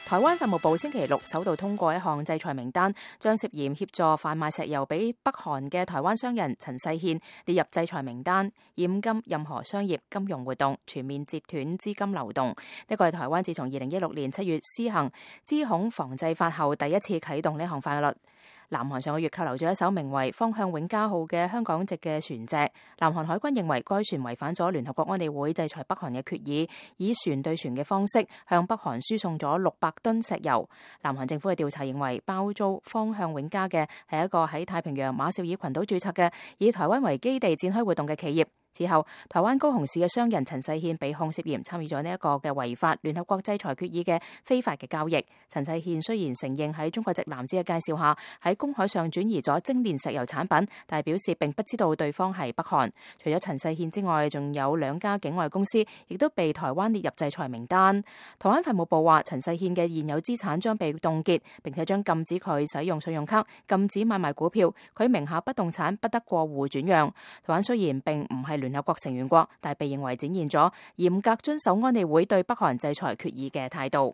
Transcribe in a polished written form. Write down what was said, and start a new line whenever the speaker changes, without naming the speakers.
台灣法務部星期六首度通過一項制裁名單，將涉嫌協助販賣石油俾北韓嘅台灣商人陳世憲列入制裁名單，嚴禁任何商業金融活動，全面截斷資金流動。呢個係台灣自從2016年7月施行資恐防制法後第一次啟動呢項法律。南韓上個月扣留咗一艘名為方向永嘉號嘅香港籍嘅船隻，南韓海軍認為該船違反咗聯合國安理會制裁北韓嘅決議，以船對船嘅方式向北韓輸送咗600噸石油。南韓政府嘅調查認為，包租方向永嘉嘅係一個喺太平洋馬紹爾群島註冊嘅以台灣為基地展開活動嘅企業。之後，台灣高雄市嘅商人陳世憲被控涉嫌參與咗呢一個嘅違法聯合國制裁決議嘅非法嘅交易。陳世憲雖然承認喺中國籍男子嘅介紹下喺公海上轉移咗精煉石油產品，但係表示並不知道對方係北韓。除咗陳世憲之外，仲有2家境外公司亦都被台灣列入制裁名單。台灣法務部話，陳世憲嘅現有資產將被凍結，並且將禁止佢使用信用卡、禁止買賣股票，佢名下不動產不得過戶轉讓。台灣雖然並唔係聯合國成員國，但係被認為展現咗嚴格遵守安理會對北韓制裁決議嘅態度。